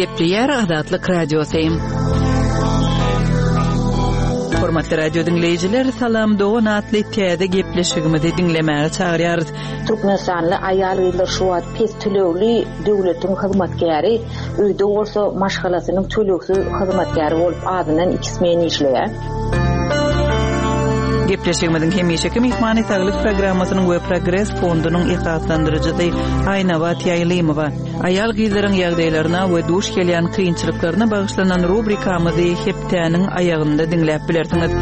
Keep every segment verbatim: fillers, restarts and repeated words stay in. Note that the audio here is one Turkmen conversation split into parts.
Gepleýär Azatlyk Radiosy. Hormatly radio diňleýjiler, Salam dogan atly täze gepleşigimizi diňlemäge çagyrýarys. Türkmenistanly aýal-gyzlar şu wagt pes tölegli döwletiň hyzmatkäri, öýde bolsa maşgalasynyň tölegsiz hyzmatkäri bolup azyndan iki smen işleýär. Gepleşigimiziň hemişeki myhmany Saglyk programmasynyň we Progres fondunyň esaslandyryjysy Aýnabat Ýaýlymowa. Aýal-gyzlaryň ýagdaýlaryna we duş gelýän kynçylyklaryna bagyşlanan rubrikamyzy hepdäniň aýagynda diňläp bilersiňiz.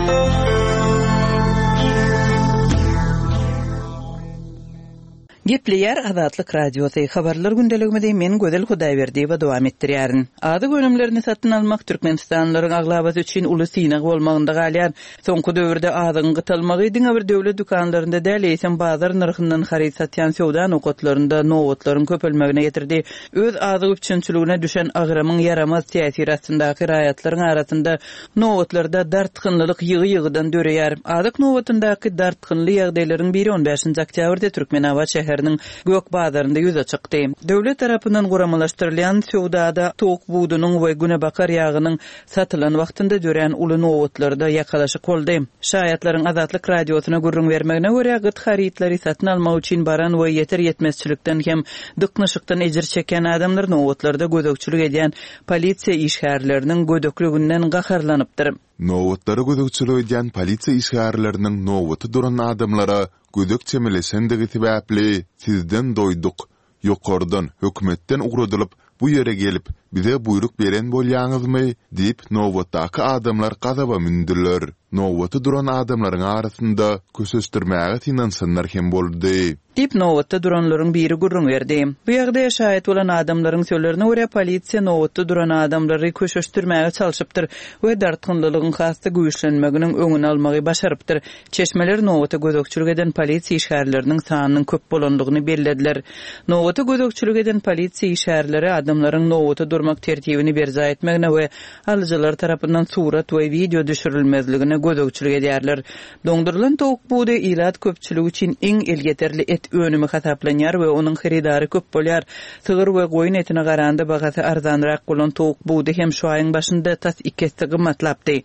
Gepleýär Azatlyk Radiosy. Habarlar gündeligimizi men Gözel Hudaýberdiýewa dowam etdirýärin. Azyk önümlerini satyn almak Türkmenistanlylaryň aglabasy üçin uly synag bolmagynda galýar. Soňky döwürde azygyň gytalmagy diňe bir döwlet dükanlarynda däl, eýsem bazar nyrhyndan haryt satýan söwda nokatlarynda nobatlaryň köpelmegine getirdi. Öz azyk üpjünçiligine düşen agramyň ýaramaz täsiri astyndaky raýatlaryň arasynda nobatlarda dartgynlylyk ýygy-ýygydan döreýär. Azyk nobatyndaky dartgynly ýagdaýlaryň biri on bäşinji oktýabrda Türkmenabat şäheriniň Gök bazarynda ýüze çykdy. Döwlet tarapyndan guramalaşdyrylýan söwdada towuk budunyň we günebakar ýagynyň satylan wagtynda dörän uly nobatlarda ýakalaşyk boldy. Şaýatlaryň Azatlyk Radiosyna gürrüň bermegine görä, gyt harytlary satyn almak üçin baran we ýeter ýetmezçilikden hem dyknyşykdan ejir çeken adamlar nobatlarda gözegçilik edýän polisiýa işgärleriniň gödekliginden gaharlanypdyr. Nobatlara gözegçilik edýän polisiýa işgärleriniň nobaty duran adamlara gödek çemeleşendigi sebäpli sizden doýduk, ýokardan, hökümetden ugradylyp, bu ýere gelip, bize buýruk beren bolýaňyzmy diýip nobatdaky adamlar gazaba mündüler. Nobaty duran adamlaryň arasynda köşeşdirmäge synanyşanlar hem boldy. Diýip nobatda duranlaryň biri gürrüň berdi. Bu ýagdaýa şaýat bolan adamlaryň sözlerine görä, polisiýa nobatda duran adamlary köşeşdirmäge çalşypdyr we dartgynlylygyň has-da güýçlenmeginiň öňüni almagy başarypdyr. Çeşmeler nobata gözegçilik eden polisiýa işgärleriniň sanynyň köp bolandygyny bellediler. Nobata gözegçilik eden polisiýa işgärleri adamlaryň nobata durmak tertibini berjaý etmegine we alyjylar tarapyndan surat we wideo düşürilmezligine gözegçilik edýärler. Doňdurylan towuk budy ilat köpçüligi üçin iň elýeterli et önümi hasaplanýar we onuň hyrydary köp bolýar. Sygyr we goýun etine garanda bahasy arzanrak bolan towuk budy hem şu aýyň başynda tas iki esse gymmatlapdy.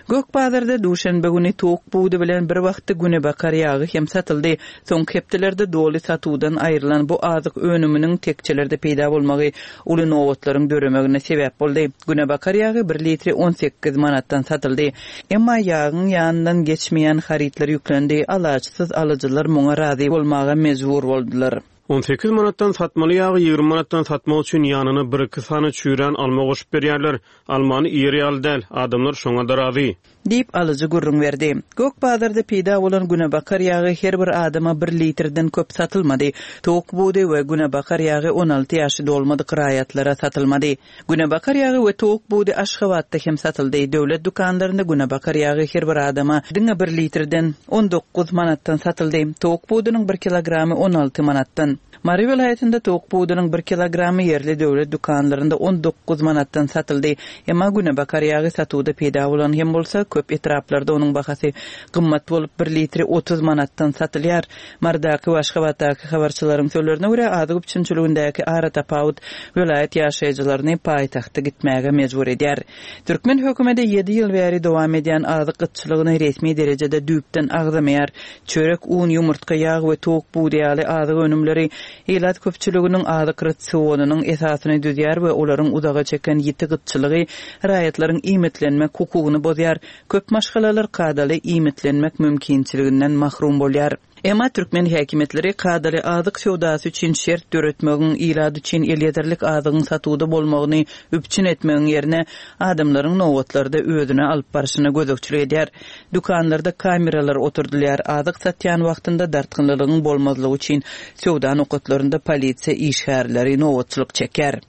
Gök bazarda duşenbe güni towuk budy bilen bir wagtda günebakar ýagy hem satyldy. Soňky hepdelerde doly satuwdan aýrylan bu azyk önüminiň tekçelerde peýda bolmagy uly nobatlaryň döremegine sebäp boldy. Günebakar ýagy bir litri on sekiz manatdan satyldy. Emma ýagyň ýanyndan geçmeýän harytlar ýüklendi. Alaçsyz alyjylar muňa razy bolmaga mejbur boldular. On sekiz manatdan satmaly ýagy ýigrimi manatdan satmak üçin ýanyna bir iki sany çüýrän alma goşup berýärler. Almany iýer ýaly däl, adamlar şoňa da razy. Diýip alyjy gürrüň berdi. Gök bazarda peýda bolan günebakar ýagy her bir adama bir litrden köp satylmady. Towuk budy we günebakar ýagy on alty ýaşy dolmadyk raýatlara satylmady. Günebakar ýagy we towuk budy Aşgabatda hem satyldy. Döwlet dükanlarynda günebakar ýagy her bir adama diňe bir litrden on dokuz manatdan satyldy. Towuk budunyň bir kilogramy on alty manatdan. Mary welaýatynda towuk budunyň bir kilogramy ýerli döwlet dükanlarynda on dokuz manatdan satyldy. Emma günebakar ýagy satuwda peýda bolan hem bolsa, köp etraplarda onuň bahasy gymmat bolup bir litri otuz manatdan satylýar. Marydaky we Aşgabatdaky habarçylaryň sözlerine görä, azyk üpjünçiligindäki ara tapawut welaýat ýaşaýjylaryny paýtagta gitmäge mejbur edýär. Türkmen hökümeti ýedi ýyl bäri dowam edýän azyk gytçylygyny resmi derejede düýpden agzamaýar. Çörek, un, ýumurtga, ýag we towuk budy ýaly azyk önümleri ilat köpçüliginiň azyk rasionynyň esasyny düzýär we olaryň uzaga çeken ýiti gytçylygy raýatlaryň iýmitlenmek hukugyny bozýar. Köp maşgalalar kadaly iýmitlenmek mümkinçiliginden mahrum bolýar. Emma türkmen häkimiýetleri kadaly azyk söwdasy üçin şert döretmegiň, ilat üçin elýeterlik azygyň satuwda bolmagyny üpjün etmegiň ýerine adamlaryň nobatlarda özüne alyp barşyna gözegçilik edýär. Dükanlarda kameralar oturdylýar. Azyk satýan wagtynda dartgynlylygyň bolmazlygy üçin söwda nokatlarynda polisiýa işgärleri nobatçylyk çekýär.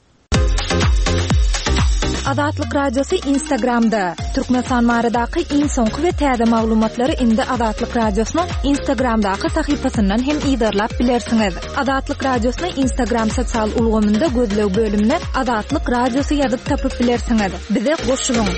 Azatlyk Radiosy Instagramda. Türkmenistan baradaky iň soňky we täze maglumatlary indi Azatlyk Radiosynyň Instagramdaky sahypasyndan hem yzarlap bilersiňiz. Azatlyk Radiosyny Instagram sosial ulgamynda gözleg bölümine Azatlyk Radiosy ýazyp tapyp bilersiňiz. Bize goşulyň.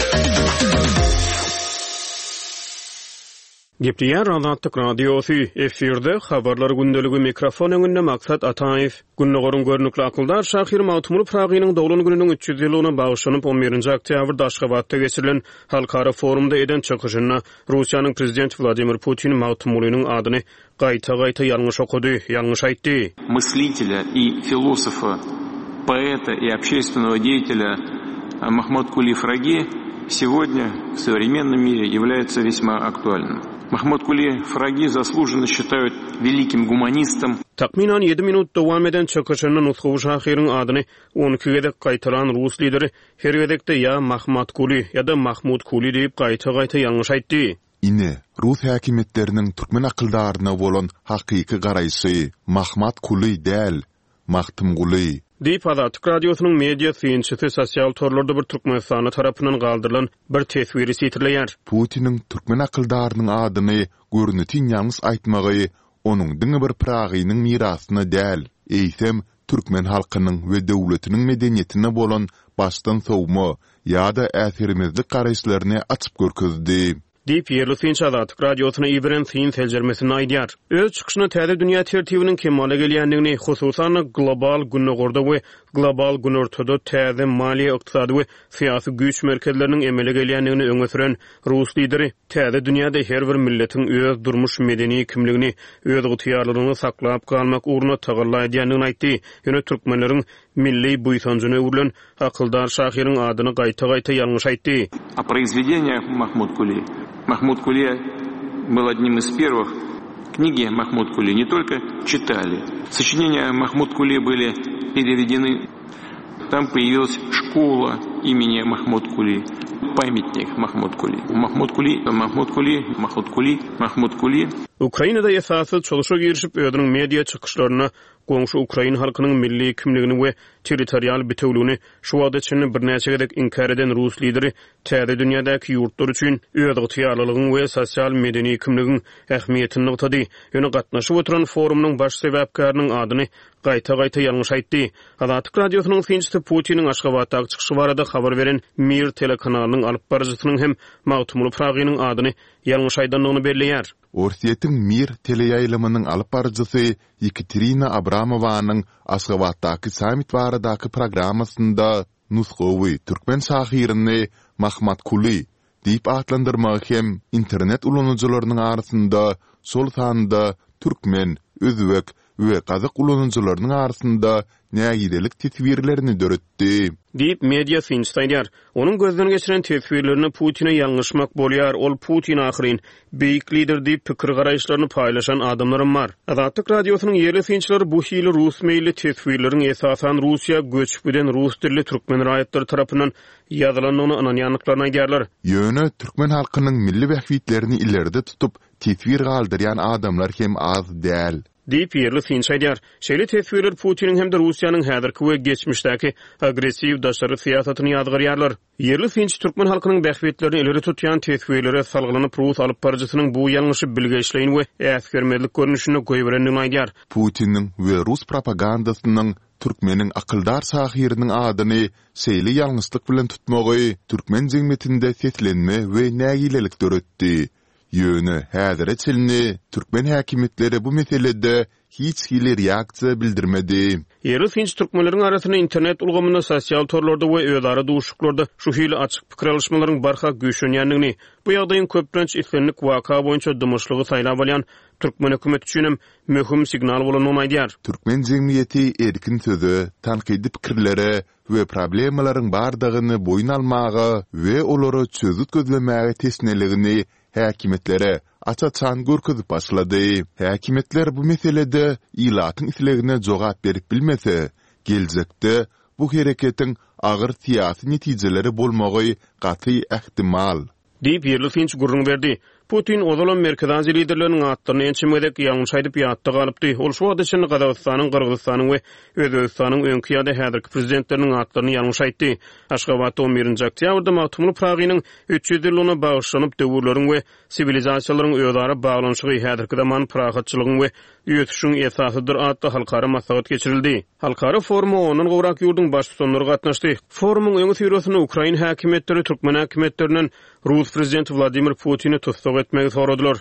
Gepleýär Azatlyk Radiosy, efirde Habarlar gündeligi, mikrofon öňünde Maksat Ataýew. Gündogaryň görnükli akyldar şahyry Magtymguly Pyragynyň doglan gününiň üç ýüz ýyllygyna bagyşlanyp on birinji oktýabrda Aşgabatda geçirilen halkara forumda eden çykyşynda Russiýanyň Prezidenti Wladimir Putin Magtymgulynyň adyny gaýta-gaýta ýalňyş okady, ýalňyş aýtdy. Мысlителя и filosofa, poeta и общественного деятеля Mahmytguly Fragi сегодня в современном мире является весьма актуальным. Mahmytguly Fragi заслуженно считают великим гуманистом. Takmynan ýedi minut dowam eden çykyşynda nusgawy şahyryň adyny on iki gezek gaýtalan rus lideri her gezekde ýa Mahmatguly ýa-da Mahmutkuly diýip gaýta-gaýta ýalňyş aýtdy. Ine, rus häkimiýetleriniň türkmen akyldaryna bolan hakyky garaýşy Mahmatkuly däl, Magtymguly. Diýip Azatlyk Radiosynyň media synçysy sosial torlarda bir Türkmenistanda tarapyndan galdyrylan bir teswiri sitirleýär. Putiniň türkmen akyldarynyň adyny görnütin ýalňyş aýtmagy onuň diňe bir Pyragynyň mirasyna däl, eýsem türkmen halkynyň we döwletiniň medeniýetine bolan başdan sowma ýa-da äsgermezlik garaýyşlaryny açyp görkezdi. Diýip ýerli synçy Azatlyk Radiosyna iberen syn seljermesini aýdýar. Öz çykyşyna täze dünýä tertibiniň kemala gelýändigini, hususan-da global günortada we global günortada täze maliýe, ykdysady we syýasy güýç merkezleriniň emele gelýändigini öňe süren rus lideri täze dünýäde her bir milletiň öz durmuş medeni kimligini, öz ygtyýarlylygyny saklap galmak ugrunda tagalla edýändigini aýtdy. Ýöne türkmenleriň milli buýsanjyna öwrülen akyldar şahyryň adyny gaýta-gaýta ýalňyş aýtdy. О произведениях Mahmytguly. Mahmytguly был одним из первых. Книги Mahmytguly не только читали. Сочинения Mahmytguly были переведены. Там появилась школа имени Mahmytguly, памятник Mahmytguly. Mahmytguly, Mahmytguly, Mahmytguly, Mahmytguly. Ukrainada esasy çalışa girişip özüniň media çykyşlaryna goňşy Ukrain halkynyň milli kimligini we territorial bitewligini şu wagta çenli birnäçe gezek inkär eden rus lideri täze dünýädäki ýurtlar üçin öz ygtyýarlylygyň we sosial medeni kimligiň ähmiýetini nygtady. Ýöne gatnaşyp oturan forumynyň baş sebäpkäriniň adyny gaýta-gaýta ýalňyş aýtdy. Azatlyk Radiosynyň synçysy Putiniň Aşgabatdaky çykyşy barada habar beren Mir telekanalynyň alyp baryjysynyň hem Magtymguly Pyragynyň adyny ýalňyş aýdandygyny belleýär. Orsýetiň Mir teleýaýlymynyň alyp baryjysy Ýekaterina Abramowanyň Aşgabatdaky sammit baradaky programmasynda nusgawy türkmen şahyryny Mahmatkuly diýip atlandyrmagy hem internet ulanyjylarynyň arasynda, şol sanda türkmen, özbek we gazak ulanyjylarynyň arasynda nägilelik teswirlerini döretdi. Diýip media synçysy aýdýar. Onuň gözden geçiren teswirlerini Putine ýalňyşmak bolýar. Ol Putin ahyryn beýik lider diýip pikir garaýyşlaryny paýlaşan adamlarym bar. Azatlyk Radiosynyň ýerli synçylary bu hili rus meýilli teswirleriň esasan Russiýa göçüp giden rus dilli türkmen raýatlary tarapyndan ýazylandygyny ynanýandyklaryny aýdýarlar. Ýöne türkmen halkynyň milli bähbitlerini ileride tutup teswir galdyrýan adamlar hem az däl. Diýip ýerli synçy aýdýar. Şeýle teswirler Putiniň hem-de Russiýanyň häzirki we geçmişdäki agressiw daşary syýasatyny ýazgarýarlar. Ýerli synçy türkmen halkynyň bähbitlerini ileri tutýan teswirlere salgylanyp rus alyp baryjysynyň bu ýalňyşy bilgeşleýin we äsgermezlik görnüşinde goýberendigini aýdýar. Putiniň we rus propagandasynyň türkmeniň akyldar şahyrynyň adyny şeýle ýalňyşlyk bilen tutmagy türkmen jemgyýetinde seslenme we nägilelik döretdi. Ýöne häzire çenli türkmen häkimiýetleri bu meselede hiç hili reaksiýa bildirmedi. Ýerli synçy türkmenleriň arasynda internet ulgamynda, sosial torlarda we özara duşuşyklarda şu hili açyk pikir alyşmalaryň barha güýçlenýändigini, bu ýagdaýyň köplenç islendik waka boýunça dymyşlygy saýlap alýan türkmen hökümeti üçin hem möhüm signal bolandygyny aýdýar. Türkmen jemgyýeti erkin söze, tankydy pikirlere we problemalaryň bardygyny boýun almaga we olara çözgüt gözlemäge teşneligini häkimiýetlere aç-açan görkezip başlady. Häkimiýetler bu meselede ilatyň islegine jogap berip bilmese, geljekde bu hereketiň agyr syýasy netijeleri bolmagy gaty ähtimal. Diýip ýerli synçy gürrüň berdi. Putin ozalam Merkezi Aziýa liderleriniň atlaryny ençeme gezek ýalňyş aýdyp ýatda galypdy. Ol şu wagta çenli Gazagystanyň, Gyrgyzystanyň we Özbegistanyň öňki ýa-da häzirki prezidentleriniň atlaryny ýalňyş aýtdy. Aşgabatda on birinji oktýabrda Magtymguly Pyragynyň üç ýüz ýyllygyna bagyşlanyp döwürleriň we siwilizasiýalaryň özara baglanyşygy häzirki zaman parahatçylygyň we ösüşiň esasydyr atly halkara maslahat geçirildi. Halkara foruma ondan gowrak ýurduň baştutanlary gatnaşdy. Forumyň öňi syrasynda Ukrain häkimiýetleri türkmen häkimiýetlerinden Rus prezidenti Wladimir Putini tussag etmegi soradylar.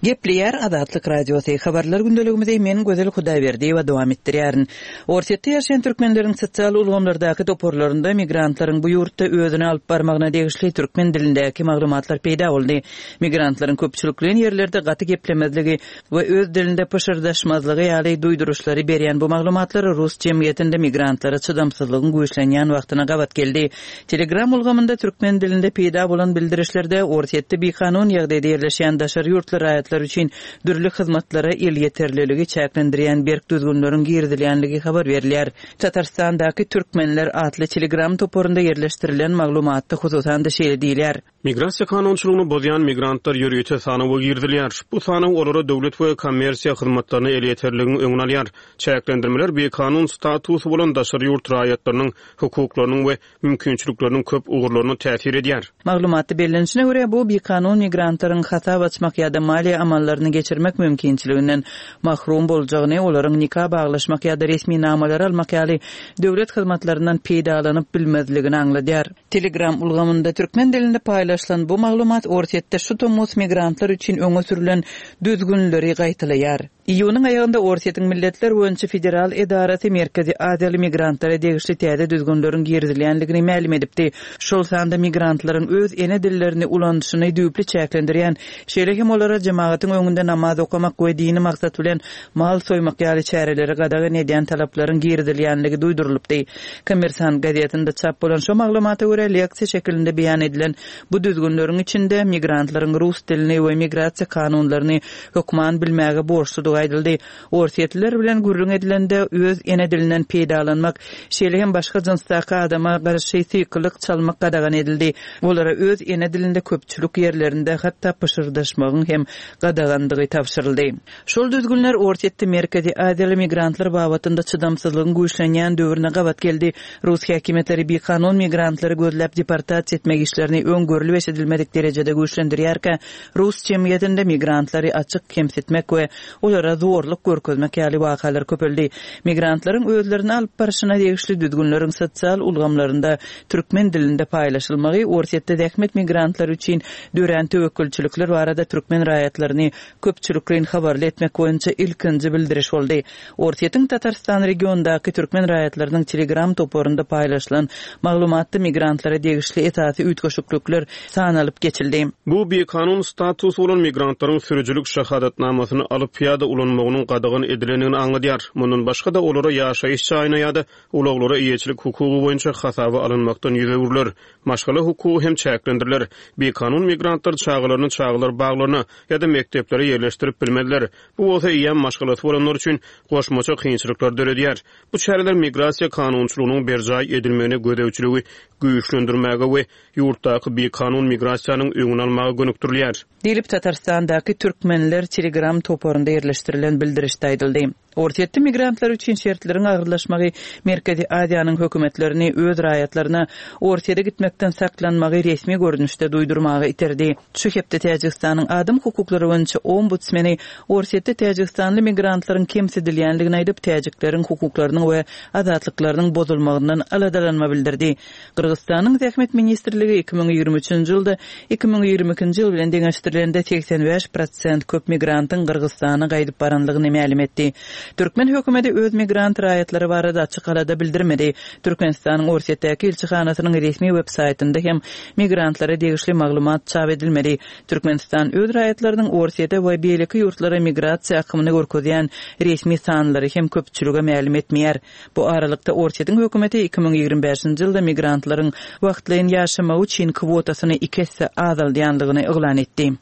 Gepleýär Azatlyk Radiosy. Habarlar gündeligimizi men Gözel Hudaýberdiýewa dowam etdirýärin. Orsýetde ýaşaýan türkmenleriň sosial ulgamlardaky toparlarynda migrantlaryň bu ýurtda özüni alyp barmagyna degişli türkmen dilindäki maglumatlar peýda boldy. Migrantlaryň köpçülikleýin ýerlerde gaty geplemezligi we öz dilinde pyşyrdaşmazlygy ýaly duýduryşlary berýän bu maglumatlar rus jemgyýetinde migrantlara çydamsyzlygyň güýçlenýän wagtyna gabat geldi. Telegram ulgamynda türkmen dilinde peýda bolan bildirişlerde Orsýetde bikanun ýagdaýda ýerleşýän daşary ýurtly raýatlar üçin dürli hyzmatlara elýeterliligi çäklendirýän berk düzgünleriň girizilýänligi habar berilýär. Tatarstandaky Türkmenler atly Telegram toparynda ýerleşdirilen maglumatda hususan-da şeýle diýilýär. Migrasiýa kanunçylygyny bozýan migrantlar ýörite sanawa girizilýär. Bu sanaw olara döwlet we kommersiýa hyzmatlaryna elýeterligiň öňüni alýar. Çäklendirmeler bikanun statusy bolan daşary ýurt raýatlarynyň hukuklarynyň we mümkinçilikleriniň köp ugurlaryna täsir edýär. Maglumatda bellenişine görä, bu bikanun migrantlaryň hasap açmak ýa-da maliýe amallaryny geçirmek mümkinçiliginden mahrum boljagyny, olaryň nika baglaşmak ýa-da resminamalary almak ýaly döwlet hyzmatlaryndan peýdalanyp bilmezligini aňladýar. Telegram ulgamynda türkmen dilinde paýlaşylan bu maglumat Orsýetde şu tomus migrantlar üçin öňe sürülen düzgünleri gaýtalaýar. Iýunyň aýagynda Orsýetiň Milletler boýunça federal edarasy Merkezi Aziýaly migrantlara degişli täze düzgünleriň girizilýänligini mälim edipdi. Şol sanda migrantlaryň öz ene dillerini ulanyşyny düýpli çäklendirýän, şeýle hem olara jemagatyň öňünde namaz okamak we dini maksat bilen mal soýmak ýaly çäreleri gadagan edýän talaplaryň girizilýänligi duýdurylypdy. Kommersant gazetinde çap bolan şo maglumata görä, leksiýa şekilinde beýan edilen bu düzgünleriň içinde migrantlaryň rus dilini we migrasiýa kanunlaryny hökman bilmäge borçludygy aýdyldy. Orsýetliler bilen gürrüň edilende öz ene dilinden peýdalanmak, şeýle hem başga jynsdaky adama garşy sykylyk çalmak gadagan edildi. Olara öz ene dilinde köpçülik ýerlerinde hatda pyşyrdaşmagyň hem gadagandygy tabşyryldy. Şol düzgünler Orsýetde Merkezi Aziýaly migrantlar babatynda çydamsyzlygyň güýçlenýän döwrüne gabat geldi. Rus häkimiýetleri bikanun migrantlary gözläp deportasiýa etmek işlerini öň görlüp eşidilmedik derejede güýçlendirýärkä, rus jemgyýetinde migrantlary açyk kemsitmek we olara zorluk görkezmek ýaly wakalar köpeldi. Migrantlaryň özlerini alyp barşyna degişli düzgünleriň sosial ulgamlarynda türkmen dilinde paýlaşylmagy Orsýetde zähmet migrantlary üçin dörän töwekgelçilikler barada türkmen raýatlaryny köpçülikleýin habarly etmek boýunça ilkinji bildiriş boldy. Orsýetiň Tatarstan regionyndaky türkmen raýatlarynyň Telegram toparynda paýlaşylan maglumatda migrantlara degişli esasy üýtgeşiklikler sanalyp geçildi. Bu bikanun statusy bolan migrantlaryň sürüjilik şahadatnamasyny alyp ýa-da ulanmagynyň gadagan edilendigini aňladýar. Mundan başga-da olara ýaşaýyş jaýyna ýa-da ulaglara eýeçilik hukugy boýunça hasaba alynmakdan ýüz öwrüler. Maşgala hukugy hem çäklendiriler. Bikanun migrantlar çagalaryny çagalar baglaryna ýa-da mekdeplere ýerleşdirip bilmezler. Bu bolsa eýýäm maşgalasy bolanlar üçin goşmaça kynçylyklar döredýär. Bu çäreler migrasiýa kanunçylygynyň berjaý edilmegine gözegçiligi güýçlendirmäge we ýurtdaky bikanun migrasiýanyň öňüni almaga gönükdirilýär. Diýlip Tatarstandaky Türkmenler Telegram toparynda ýerleşdirilen bildirişde aýdyldy. Orsýetde migrantlar üçin şertleriň agyrlaşmagy Merkezi Aziýanyň hökümetlerini öz raýatlaryna Orsýete gitmekden saklanmagy resmi görnüşde duýdurmaga iterdi. Şu hepde Täjigistanyň adam hukuklary boýunça ombudsmeni Orsýetde täjigistanly migrantlaryň kemsidilýänligini aýdyp, täjikleriň hukuklarynyň we azatlyklarynyň bozulmagyndan aladalanma bildirdi. Gyrgyzystanyň Zähmet ministrligi iki müň ýigrimi üçünji ýylda iki müň ýigrimi ikinji ýyl bilen deňeşdirilende segsen bäş prosent köp migrantyň Gyrgyzystana gaýdyp baranlygyny mälim etdi. Türkmen hökümeti öz migrant raýatlary barada açyk alada bildirmedi. Türkmenistanyň Orsýetdäki ilçihanasynyň resmi web saýtynda hem migrantlara degişli maglumat çap edilmedi. Türkmenistan öz raýatlarynyň Orsýete we beýleki ýurtlara migrasiýa akymyny görkezýän resmi sanlary hem köpçülige mälim etmeýär. Bu aralykda Orsýetiň hökümeti iki müň ýigrimi bäşinji ýylda migrantlaryň wagtlaýyn ýaşamagy üçin kwotasyny iki esse azaldýanlygyny yglan etdi.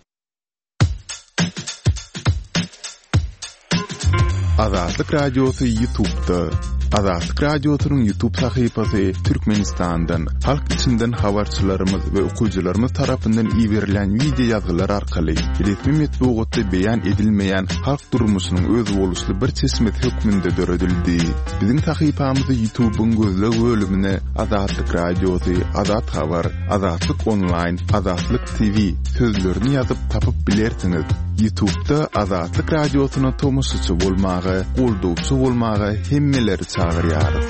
Azatlyk Radiosy YouTube'da. Azatlyk Radiosynyň YouTube sahypasy Türkmenistandan, halk içinden habarçylarymyz we okyjylarymyz tarapyndan iberilen wideo ýazgylar arkaly resmi metbugatda beýan edilmeýän halk durmuşynyň özboluşly bir çeşmesi hökmünde döredildi. Biziň sahypamyzy YouTube'yň gözleg bölümine Azatlyk Radiosy, Azat Habar, Azatlyk Online, Azatlyk T V sözlerini ýazyp tapyp bilersiňiz. YouTube'da Azatlyk Radiosyna tomaşaçy bolmaga, goldawçy bolmaga hemmeleri çagyrýarys.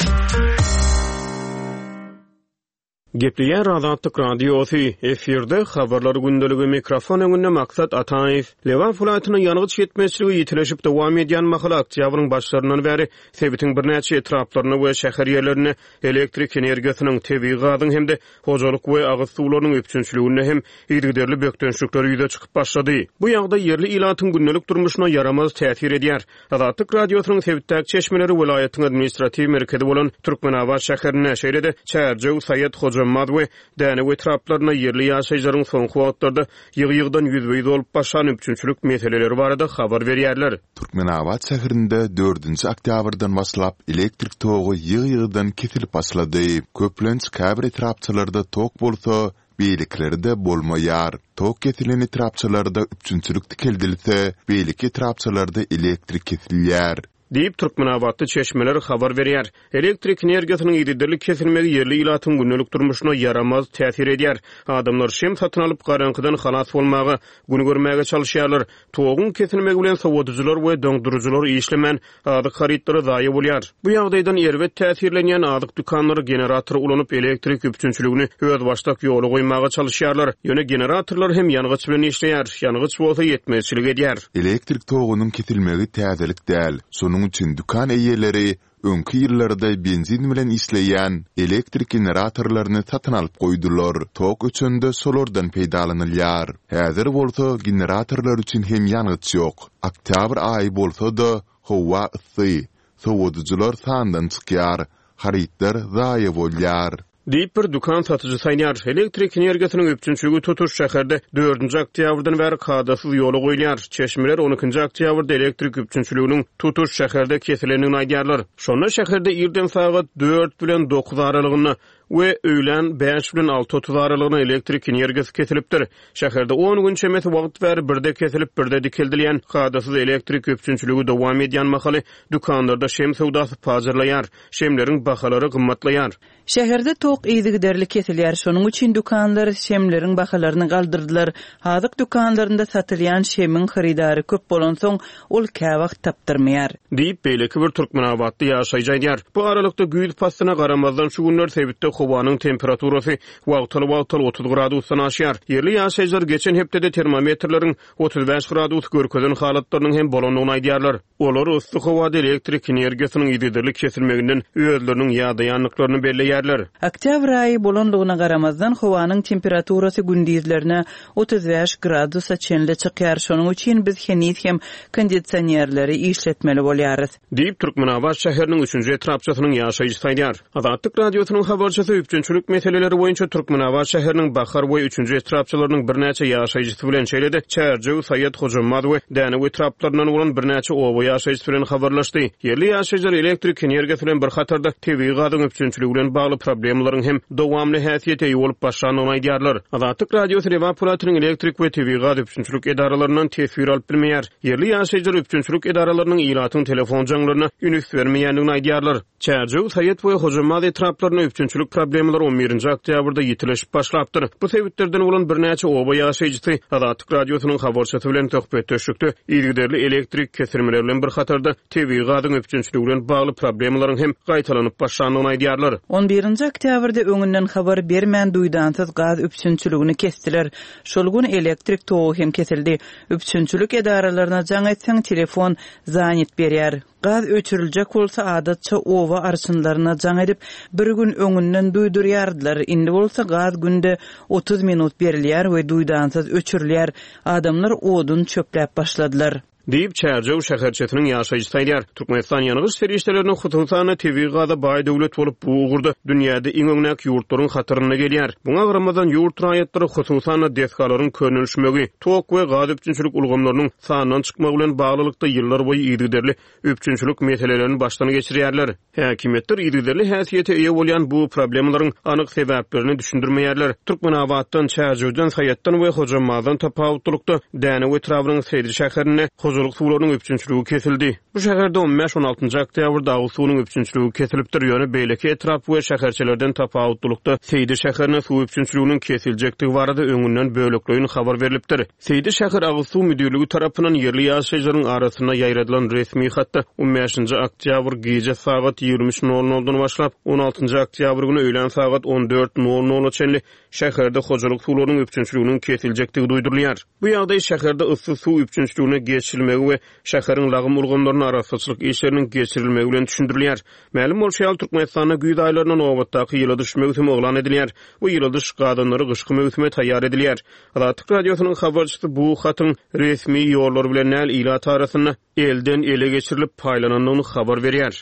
Gepleýär Azatlyk Radiosy, efirde Habarlar gündeligi, mikrofon öňünde Maksat Ataýew. Lebap welaýatynda ýangyç ýetmezçiligi ýitileşip dowam edýän mahaly oktýabryň başlaryndan bäri sebitiň birnäçe etraplarynda we şäher ýerlerinde elektrik energiýasynyň, tebigy gazyň hem-de hojalyk we agyz suwlarynyň üpjünçiliginde hem yzygiderli bökdençlikler ýüze çykyp başlady. Bu ýagdaý ýerli ilatyň gündelik durmuşyna ýaramaz täsir edýär. Azatlyk Radiosynyň sebitdäki çeşmeleri welaýatyň administratiw merkezi bolan Türkmenabat şäherinde, şeýle-de Çärjew, Saýat, Hojambaz we Dänew etraplarynda ýerli ýaşaýjylaryň soňky wagtlarda ýygy-ýygydan ýüzbe-ýüz bolup başlan üpjünçilik meseleleri barada habar berýärler. Türkmenabat şäherinde dördünji oktýabrdan başlap elektrik togy ýygy-ýygydan kesilip başlady. Köplenç käbir etrapçalarda tok bolsa, beýlekilerde bolmaýar. Tok kesilen etrapçalarda üpjünçilik dikeldilse, beýleki etrapçalarda elektrik kesilýär. Diýip, türkmenabatly çeşmeler habar berýär. Elektrik energiýasynyň yzygiderli kesilmegi ýerli ilatyň gündelik durmuşyna ýaramaz täsir edýär. Adamlar şem satyn alyp, garaňkydan halas bolmaga, gün görmäge çalyşýarlar. Toguň kesilmegi bilen sowadyjylar we doňduryjylar işlemän, azyk harytlary zaýa bolýar. Bu ýagdaýdan erbet täsirlenýän azyk dükanlary generator ulanyp, elektrik üpjünçiligini özbaşdak ýola goýmaga çalyşýarlar. Ýöne generatorlar hem ýangyç bilen işleýär, ýangyç bolsa ýetmezçilik edýär. Elektrik togunyň kesilmegi täzelik däl. Şonuň üçin dükan eýeleri öňki ýyllarda benzin bilen işleýän elektrik generatorlaryny satyn alyp goýdular. Tok öçende şolardan peýdalanylýar. Häzir bolsa generatorlar üçin hem ýangyç ýok. Oktýabr aýy bolsa-da, howa yssy. Sowadyjylar sandan çykýar, harytlar zaýa bolýar. Diýip, bir dükan satyjysy aýdýar. Elektrik energiýasynyň üpjünçiligi tutuş şäherde dördünji oktýabrdan bäri kadasyz ýola goýulýar. Çeşmeler on ikinji oktýabrda elektrik üpjünçiliginiň tutuş şäherde kesilendigini aýdýarlar. Şonda şäherde irden sagat dört bilen dokuz aralygynda we öýlän bäş bilen alty otuz aralygynda elektrik energiýasy kesilipdir. Şäherde on gün çemesi wagt bäri birde kesilip, birde dikeldilýän kadasyz elektrik üpjünçiligi dowam edýän mahaly dükanlarda şem söwdasy pajarlaýar, şemleriň bahalary gymmatlaýar. Şäherde tok yzygiderli kesilýär, şonuň üçin dükanlar şemleriň bahalaryny galdyrdylar. Azyk dükanlarynda satylýan şemiň hyrydary köp bolansoň, ol käwagt tapdyrmaýar. Diýip, beýleki bir türkmenabatly ýaşaýjy aýdýar. Bu aralykda güýz paslyna garamazdan şu günler sebitde howanyň temperaturasy wagtal-wagtal otuz gradusdan aşýar. Ýerli ýaşaýjylar geçen hepdede termometrleriň otuz bäş gradus görkezen halatlarynyň hem bolandygyny aýdýarlar. Olar yssy howada elektrik energiýasynyň yzygiderli kesilmeginden özleriniň ýadaýandyklaryny belleýärler. Oktýabr aýy bolandygyna garamazdan howanyň temperaturasy gündizlerine otuz bäş gradusa çenli çykýar. Şonuň üçin biz heniz hem kondisionerleri işletmeli bolýarys. Diýip, Türkmenabat şäheriniň üçünji etrapçasynyň ýaşaýjysy aýdýar. Azatlyk Radiosynyň habarçysy üpjünçilik meseleleri boýunça Türkmenabat şäheriniň Bahar we üçünji etrapçalarynyň birnäçe ýaşaýjysy bilen, şeýle-de Çärjew, Saýat, Hojambaz we Dänew etraplaryndan bolan birnäçe oba ýaşaýjysy bilen habarlaşdy. Ýerli ýaşaýjylar elektrik energiýasy bilen bir hatarda tebigy gazyň üpjünçiligi bilen bagly problemalaryň hem dowamly häsiýete eýe bolup başlandygyny aýdýarlar. Azatlyk Radiosy Lebap welaýatynyň elektrik we tebigy gaz üpjünçilik edaralaryndan teswir alyp bilmeýär. Ýerli ýaşaýjylar üpjünçilik edaralarynyň ilatyň telefon jaňlaryna üns bermeýändigini aýdýarlar. Çärjew, Saýat we Hojambaz etraplarynda üpjünçilik problemalary on birinji oktýabrda ýitileşip başlapdyr. Bu sebitlerden bolan birnäçe oba ýaşaýjysy Azatlyk Radiosynyň habarçysy bilen söhbetdeşlikde yzygiderli elektrik kesilmeleri bilen bir hatarda tebigy gazyň üpjünçiligi bilen bagly problemalaryň hem gaýtalanyp başlandygyny aýdýarlar. On birinji oktýabrda öňünden habar bermän duýdansyz gaz üpjünçiligini kesdiler. Şol gün elektrik togy hem kesildi. Üpjünçilik edaralaryna jaň etseň telefon zanit berýär. Gaz öçüriljek bolsa adatça oba arçynlaryna jaň edip bir gün öňünden duýdurýardylar. Indi bolsa gaz günde otuz minut berilýär we duýdansyz öçürilýär. Adamlar odun çöpläp başladylar. Diýip, Çärjew şäherçesiniň ýaşaýjysy aýdýar. Türkmenistan ýangyç serişdelerini hususan tebigy gaza baý döwlet bolup, bu ugurda dünýäde iň öňdäki ýurtlaryň hatarynda gelýär. Muňa garamazdan ýurt raýatlary hususan desgalaryň könelişmegi, tok we gaz üpjünçilik ulgamlarynyň sandan çykmagy bilen baglylykda ýyllar boýy yzygiderli üpjünçilik meselelerini başdan geçirýärler. Häkimiýetler yzygiderli häsiýete eýe bolýan bu problemalaryň anyk sebäplerini düşündirmeýärler. Türkmenabatdan, Çärjewden, Saýatdan we Hojambazdan tapawutlylykda Dänew etrabynyň Seýdi şäherinde hojalyk suwlarynyň üpjünçiligi kesildi. Bu şäherde on bäş-on altynjy oktýabrda agyz suwunyň üpjünçiligi kesilipdir, ýöne beýleki etrap we şäherçelerden tapawutlylykda Seýdi şäherine suw üpjünçiliginiň kesiljekdigi barada öňünden bölekleýin habar berlipdir. Seýdi şäher agyz suw müdirligi tarapyndan ýerli ýaşaýjylaryň arasynda ýaýradylan resmi hatda on bäşinji oktýabr gije sagat ýigrimi üç nol noldan başlap on altynjy oktýabr güni öýlän sagat on dört nol nola çenli şäherde hojalyk suwlarynyň üpjünçiliginiň kesiljekdigi duýdurylýar. Bu ýagdaý şäherde yssy suw üpjünçiligine geçirilmegi we şäheriň lagym ulgamlaryna arassaçylyk işleriniň geçirilmegi bilen düşündirilýär. Mälim bolşy ýaly, Türkmenistanda güýz aýlarynda nobatdaky ýyladyş möwsümi yglan edilýär we ýyladyş gazanlary gyşky möwsüme taýýar edilýär. Azatlyk Radiosynyň habarçysy bu hatyň resmi ýollar bilen näl ilat arasynda elden ele geçirilip paýlanandygyny habar berýär.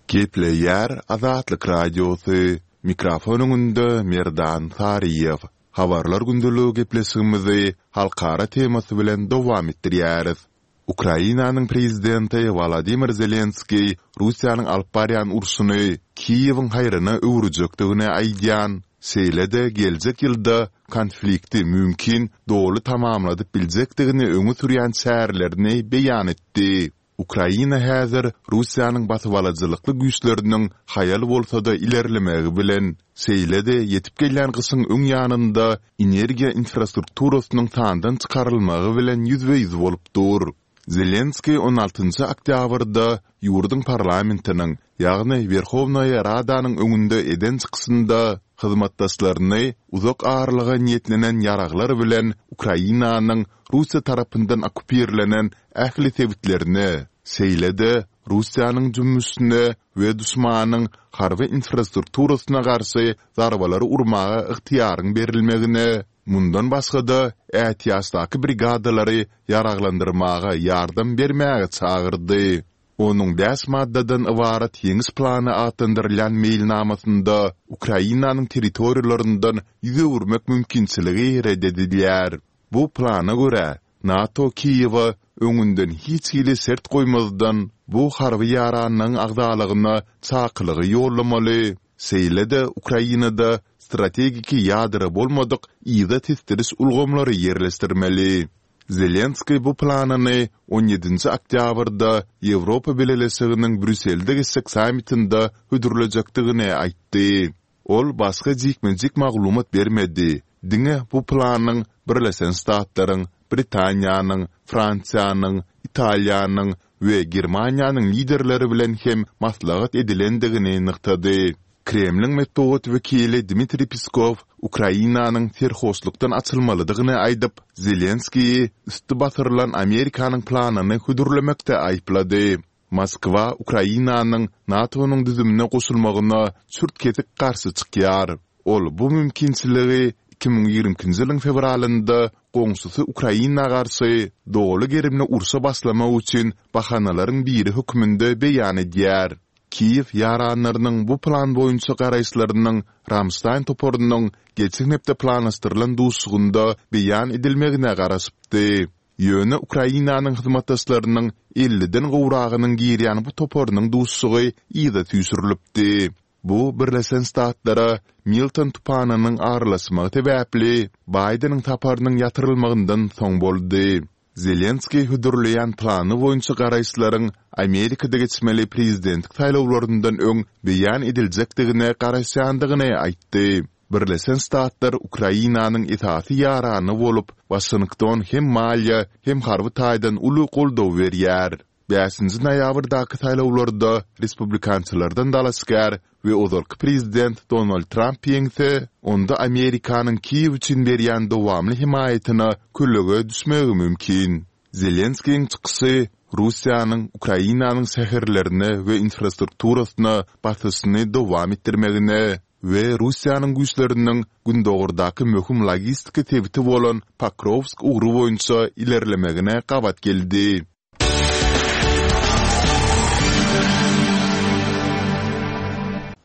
Gepleýär Azatlyk Radiosy. Mikrofon öňünde Merdan Saryýew. Habarlar gündeligi gepleşigimizi halkara temasy bilen dowam etdirýäris. Ukrainanyň prezidenti Wolodymyr Zelenskiý Russiýanyň alyp barýan urşuny Kiýewiň haýryna öwürjekdigini aýdýan, şeýle-de geljek ýylda konflikti mümkin doly tamamladyp biljekdigini öňe sürýän çärelerini beýan etdi. Ukraina häzir Russiýanyň basybalyjylykly güýçleriniň haýal bolsa-da ilerlemegi bilen, şeýle-de ýetip gelýän gyşyň öň ýanynda energiýa infrastrukturasynyň sandan çykarylmagy bilen ýüzbe-ýüz bolup dur. Zelenskiý on altynjy oktýabrda ýurduň parlamentiniň, ýagny Werhownaýa Radanyň öňünde eden çykyşynda hyzmatdaşlaryny uzak aralyga niýetlenen ýaraglar bilen Ukrainanyň Russiýa tarapyndan okkupirlenen ähli sebitlerine, şeýle-de Russiýanyň jümmüşine we duşmanyň harby infrastrukturasyna garşy zarbalary urmaga ygtyýaryň berilmegine, mundan başga-da ätiýaçdaky brigadalary ýaraglandyrmaga ýardam bermäge çagyrdy. Onuň bäş maddadan ybarat ýeňiş plany atlandyrylýan meýilnamasynda Ukrainanyň territoriýalaryndan ýüz öwürmek mümkinçiligi red edilýär. Bu plana görä, NATO Kiýewe öňünden hiç hili şert goýmazdan bu harby ýaranlygyň agzalygyna çakylygy ýollamaly, şeýle-de Ukrainada strategiki ýadro bolmadyk yza tesdiriş ulgamlary ýerleşdirmeli. Zelenskiý bu planyny on ýedinji oktýabrda Ýewropa Bileleşiginiň Brýusselde geçjek sammitinde hödürlejekdigini aýtdy. Ol başga jikme-jik maglumat bermedi, diňe bu planyň Birleşen Ştatlaryň, Britaniýanyň, Fransiýanyň, Italiýanyň we Germaniýanyň liderleri bilen hem maslahat edilendigini nygtady. Kremliň metbugat wekili Dmitriý Peskow Ukrainanyň serhoşlukdan açylmalydygyny aýdyp, Zelenskiýi üsti basyrylan Amerikanyň planyny hödürlemekde aýyplady. Moskwa Ukrainanyň NATO-nyň düzümine goşulmagyna çürt-kesik garşy çykýar. Ol bu mümkinçiligi iki müň ýigrimi ikinji ýylyň fewralynda goňşusy Ukraina garşy doly gerimli urşa başlamak üçin bahanalaryň biri hökmünde beýan edýär. Kiýew ýaranlarynyň bu plan boýunça garaýyşlarynyň Ramştaýn toparynyň geçen hepde planlaşdyrylan duşuşygynda beýan edilmegine garaşypdy. Ýöne Ukrainanyň hyzmatdaşlarynyň elliden gowragynyň girýän bu toparynyň duşuşygy yza süýşürilipdi. Bu Birleşen Ştatlara Milton tupanynyň aralaşmagy sebäpli Baýdeniň saparynyň ýatyrylmagyndan soň boldy. Zelenskiý hödürleýän plany boýunça garaýyşlaryň Amerikada geçmeli prezidentlik saýlawlaryndan öň beýan ediljekdigine garaşýandygyny aýtdy. Birleşen Ştatlar Ukrainanyň esasy ýarany bolup, Waşington hem maliýe, hem harby taýdan uly goldaw berýär. Bäşinji noýabrdaky saýlawlarda respublikançylardan dalaşgär we ozalky prezident Donald Tramp ýeňse, onda Amerikanyň Kiýew üçin berýän dowamly hemaýatyna kölege düşmegi mümkin. Zelenskiýiň çykyşy Russiýanyň Ukrainanyň şäherlerine we infrastrukturasyna basyşyny dowam etdirmegine we Russiýanyň güýçleriniň gündogardaky möhüm logistika sebiti bolan Pokrowsk ugry boýunça ilerlemegine gabat geldi.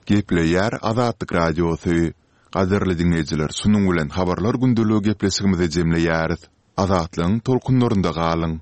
Gepleýär Azatlyk Radiosy. Gadyrly diňleýjiler, şunuň bilen Habarlar gündeligi gepleşigimizi jemleýäris. Azatlygyň tolkunlarynda galyň.